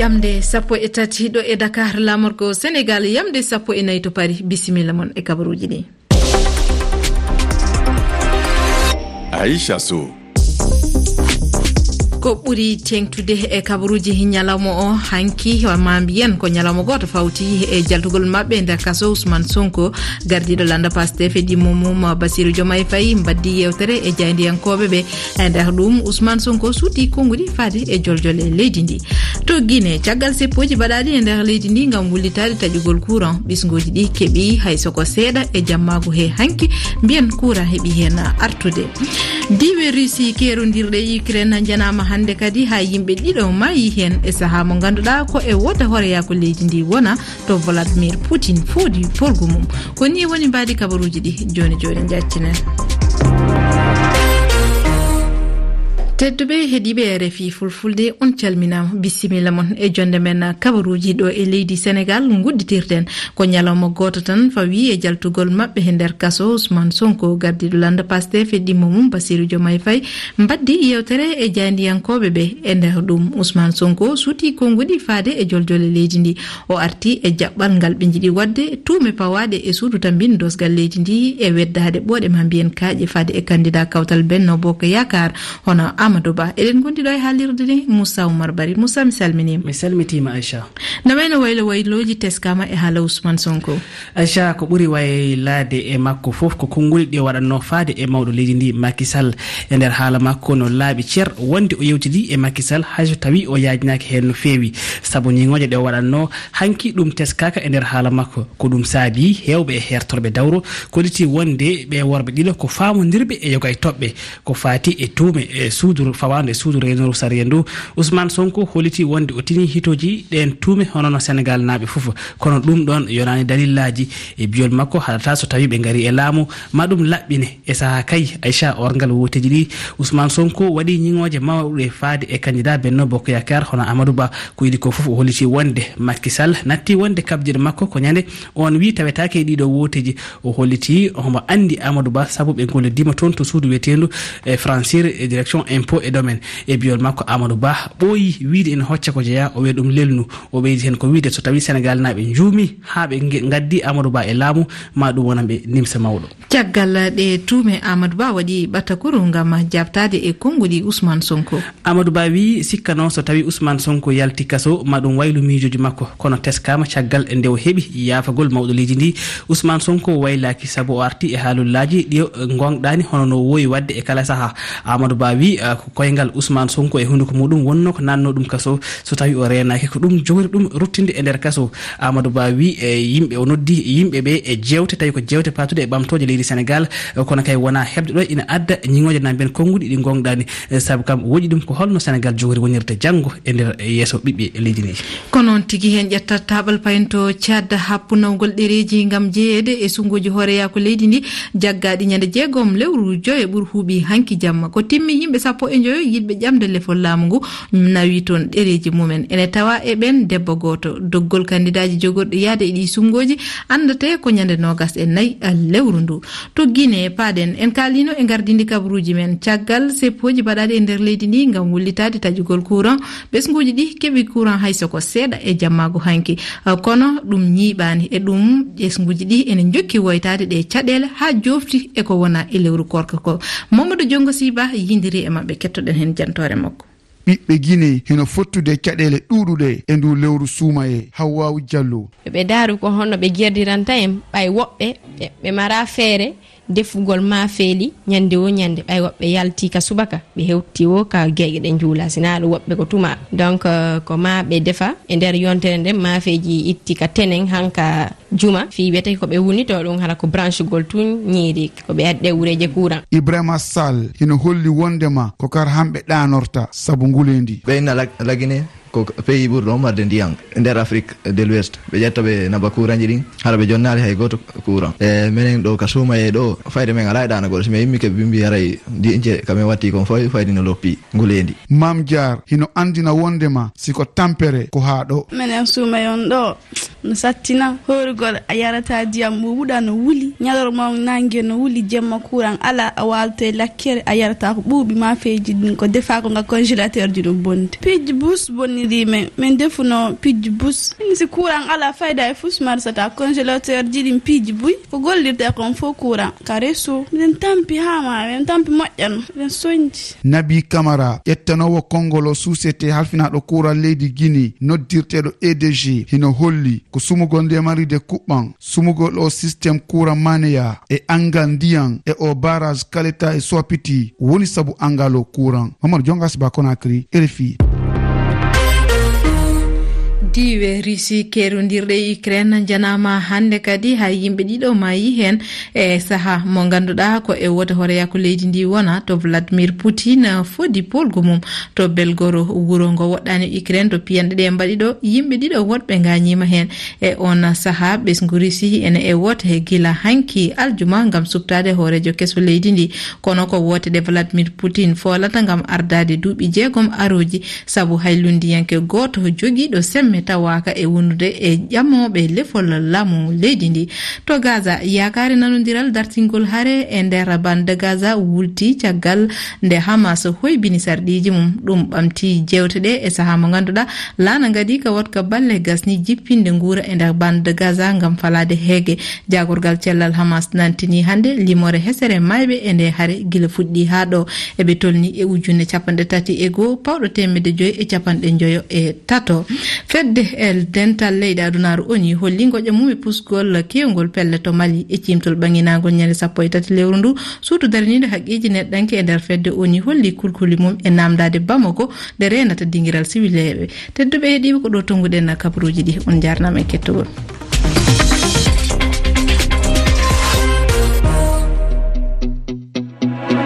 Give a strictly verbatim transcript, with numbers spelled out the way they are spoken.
Yamde sappo e tati ɗo e Dakar, laamorgo Senegal, yamde sappo e nayi to Paris. Bisimilla mon e kabaruuji ɗi. Aisha Sow. Ko ɓuri teeŋtude e kabaruuji ñalawma o hanki, ma mbiyen ko ñalawma gooto fawti e jaltugol maɓɓe nder kaso Ousmane Sonko, gardiiɗo lannda Pastef e ɗimmo mum Bassirou Diomaye Faye mbaɗdi yeewtere e jaayndiyankooɓe ɓe. E nder ɗum, Ousmane Sonko suuti konnguɗi faade e joljole leydi ndi. To Guinée, caggal seppooji baɗaaɗi e nder leydi ndi ngam wullitaade taƴugol courant, ɓisngooji ɗi keɓi hay so ko seeɗa e jammaagu he hanki, mbiyen courant heɓi heen artude. Diiwe Russie keerondirɗe e Ukraine njanaama hannde kadi, haa yimɓe ɗiɗo maayi heen e sahaa mo ngannduɗaa ko e woote hooreyaaku leydi ndi wona to Vladimir Putin foodi forgu mum. Ko nii woni mbaadi kabaruuji ɗi jooni jooni njaccinen. Tedduɓe heɗiiɓe R F I Fulfulde, on calminaama. Bisimilla mon e jonde men kabaruuji ɗo e leydi Senegal ngudditirten. Ko ñalawma gooto tan fawi e jaltugol maɓɓe he nder kaso Ousmane Sonko, gardiiɗo lannda Pastef e ɗimmo mum Bassirou Diomaye Faye mbaɗdi yeewtere e jaayndiyankooɓe ɓe. E nder ɗum, Ousmane Sonko suuti konnguɗi faade e joljole leydi ndi. O arti e jaɓɓal ngal ɓe njiɗi waɗde tuume pawaaɗe e suudu tammbin doosgal leydi ndi e weddaade ɓooɗe ma mbiyen kaaƴe faade e kanndidaa kawtal Benno Bokk Yaakaar hono Amadou Ba. Eɗen ngondi ɗo e haalirde nde Moussa Oumar Bari. Moussa, mi salminiima. Mi salmitiima, Aisha. No wayno waylo waylooji teskaama e haala Ousmane Sonko? Aisha, ko ɓuri waylaade e makko fof ko konnguli ɗi o waɗatnoo faade e mawɗo leydi ndi, Macky Sall. E nder haala makko no laaɓi cer wonde o yewtidii e Macky Sall, hay so tawii o yaajnaaki heen no feewi. Sabu ñiŋooje ɗe o waɗatnoo hanki, ɗum teskaaka e nder haala makko. Ko ɗum saabii heewɓe e heertorɓe dawro kolliti wonde ɓee worɓe ɗiɗo ko faamondirɓe e yoga e toɓɓe. Ko faati e tuume e suudu fawaandu e suudu reenooru sariya ndu, Ousmane Sonko holliti wonde o tinii hitooji ɗeen tuume hono no Senegaalnaaɓe fof. Kono ɗum ɗoon yonaani dalillaaji. E biyol makko, haɗataa so tawii ɓe ngarii e laamu, ma ɗum laɓɓine. E sahaa kay, Aisha, orngal wooteeji ɗi, Ousmane Sonko waɗi ñiŋooje mawɗe faade e kanndidaa Benno Bokk Yaakaar hono Amadou Ba. Ko idii ko fof, o holliti wonde Macky Sall natti wonde kabjeɗe makko ko ñande oon wii tawetaake e ɗiɗo wooteeji. O holliti omo anndi Amadou Ba sabu ɓe ngollodiima toon to suudu wiyeteendu e Francir e direction impôt et domaine. E biyol makko, Amadou Ba ɓooyi wiyde ina hocca ko jeyaa, o wiya ɗum lelnu. O ɓeydi heen ko wiyde so tawii Senegaalnaaɓe njuumii haa ɓe nge-, ngaddi Amadou Ba e laamu, ma ɗum wonan ɓe nimsa mawɗo. Caggal ɗe tuume, Amadou Ba waɗi ɓatakuru ngam jaabtaade e konnguɗi Ousmane Sonko. Amadou Ba wii sikkanoo so tawii Ousmane Sonko yalti kaso, ma ɗum waylu miijooji makko. Kono teskaama caggal nde o heɓi yaafagol mawɗo leydi ndi, Ousmane Sonko waylaaki sabu o arti e haalullaaji ɗi o ngoongɗaani hono no o woowi waɗde e kala sahaa. Amadou Ba wii, ah, ko koyngal Ousmane Sonko e hunnduko muɗum wonnoo ko naatnoo ɗum kaso. So tawii o reenaaki, ko ɗum jogori ɗum ruttinde e nder kaso. Amadou Ba wii, e yimɓe, o noddi yimɓe ɓe e jeewte, tawi ko jeewte paatuɗe e ɓamtooje leydi Senegaal, kono kay wonaa heɓde ɗo ina adda ñiŋooje na mbiyen konnguɗi ɗi ngoongɗaani, e sabu kam woƴi ɗum ko holno Senegaal jogori wonirde janngo e nder yeeso ɓiɓɓe leydi ndi. Ko noon tigi, heen ƴetta taaɓal payen to Tchad, happu nawgol ɗereeji ngam jeyeede e sunnguuji hooreyaaku leydi ndi, jaggaaɗi ñande jeegom lewru joyo ɓuri huuɓi hanki jamma. Ko timmi, yimɓe sappo e njoyo yiɗɓe ƴamde lefol laamu ngu nawi toon ɗereeji mumen. Ene tawa e ɓeen debbo gooto. Doggol kanndidaaji jogorɗi yahde e ɗii sunnguuji anndete ko ñande noogas e nayi lewru ndu. To Guinée, paaɗen, en kaaliino e ngardiindi kabaruuji men. Caggal seppooji baɗaaɗi e nder leydi ndi ngam wullitaade taƴugol courant, ɓesnguuji ɗi keɓi courant hay so ko seeɗa e jammaagu hanki. Kono ɗum ñiiɓaani. E ɗum, ɓesnguuji ɗi ene njokki woytaade ɗe caɗeele haa joofti e ko wona e lewru koorka ko. Mamadou Diongo Siba yindiri e maɓɓe, kettoɗen heen jantoore makko. Ɓiɓɓe Guinée hino fottude e caɗeele ɗuuɗuɗe e ndu lewru suumayee. Hawwaawu Jallo. Ɓe daaru ko honno ɓe jerdiranta en, ɓay woɓɓe ɓe, ɓe mara feere defugol maafeeli ñande wo ñande, ɓay woɓɓe yalti ka subaka, ɓe hewti wo ka geeƴe ɗe njuula, sinaa ɗum woɓɓe ko tuma. Donc, euh, ko ma ɓe defa e nder yontere nden, maafeeji itti ka tenen hanka juma, fii wiyetee ko ɓe wulnitoo ɗum, hara ko branchegol tun ñiiri, ko ɓe addi ɗe wureeje courant. Ibrahima Sall hino holli wondema ko kar hamɓe ɗaanorta sabu nguleendi. Ɓe inna Lag-, Lagine ko pays ɓurɗo marde ndiyan nder Afrique de l'Ouest. Ɓe ƴetta ɓe naba kuuranji ɗin, hara ɓe jonnaali hay gooto courant. E menen ɗo ka suumayee ɗo, fayde men alaa e ɗaanagol. Si men immike ɓe mbi haray diince ka men watti kon foy, fayde no loppi nguleendi. Maam Jaar hino andina wondema si ko tampere ko haa ɗo. Menen suumayee on ɗo, no sattina, hoorugol a yarata ndiyam ɓuuɓuɗo no wuli, ñalorma on nange no wuli, jemma courant alaa, a waalto e lakkere, a yarata ko ɓuuɓi, maafeeji ɗin ko defaa ko nga congélateur ji no bonde. Piiji bus bonni Ɗi men, men defuno pijji bus. Min si kuran ala fayda e fus marsata congélateur ji ɗin pijji buy. Ko gollirte kon fo kuran. Ka reso. Min tampi hama, min tampi moƴƴan, min sonji. Nabi Kamara, ƴettanoowo konngol o suusete halfinaaɗo kuran leydi Gini, noddirteeɗo E D G, hino holli ko sumugol nde maride kuɓɓan, sumugol o système kuran maneya e angal ndiyan e o barrage Kaleta e Soapiti woni sabu angal o kuran. Mamadou Jonga Siba Konakry, R F I. Diiwe Russie kerondirɗe e Ukraine janaama hannde kadi, hay yimɓe ɗiɗo maayi heen e saha mo ngannduɗaa ko e woote hooreyaaku leydi ndi wona to Vladimir Putin fodi polgu mum to Belgoro, wuro ngo woɗɗaani Ukraine, to piyanɗe ɗe mbaɗi ɗo. Yimɓe ɗiɗo woɗɓe ngaañiima heen. E on saha, ɓesngu Russie ene e woote he gila hanki aljuma ngam suɓtaade hooreejo keso leydi ndi. Kono ko woote ɗe Vladimir Putin foolata ngam ardaade duuɓi jeegom arooji, sabu hay lunndiyanke gooto jogiiɗo semme tawaaka e wonude e ƴamooɓe lefol laamu leydi ndi. To Gaza, yaakaare nanondiral dartingol hare e nder bande Gaza wulti caggal nde Hamas hoybini sarɗiiji mum. Ɗum ɓamti jeewte ɗe e saha mo ngannduɗaa laana ngadi ka waɗka balle gasni jippinde nguura e nder bande Gaza ngam falaade heege. Jaagorgal cellal Hamas nantini hannde limoore hesere mayɓe e nde hare gila fuɗɗi haa ɗo. Eɓe tolni e ujunere capanɗe tati e goo, pawɗo teemedde joy e capanɗe njoyo e tato. Fedde e dental leyɗe adunaaru ONU holli ngoƴa mum e pusgol kewngol pelle to Mali e ciimtol ɓaŋinaangol ñande sappo e tati lewru ndu. Suudu daraniiɗo haqqeeji neɗɗanke e nder fedde ONU holli kulkuli mum e namdaade Bamako nde reenata dingiral siwileeɓe. Tedduɓe heɗiiɓe, ko ɗo tonnguɗen kabaruuji ɗi. On njaarnaama e kettogol.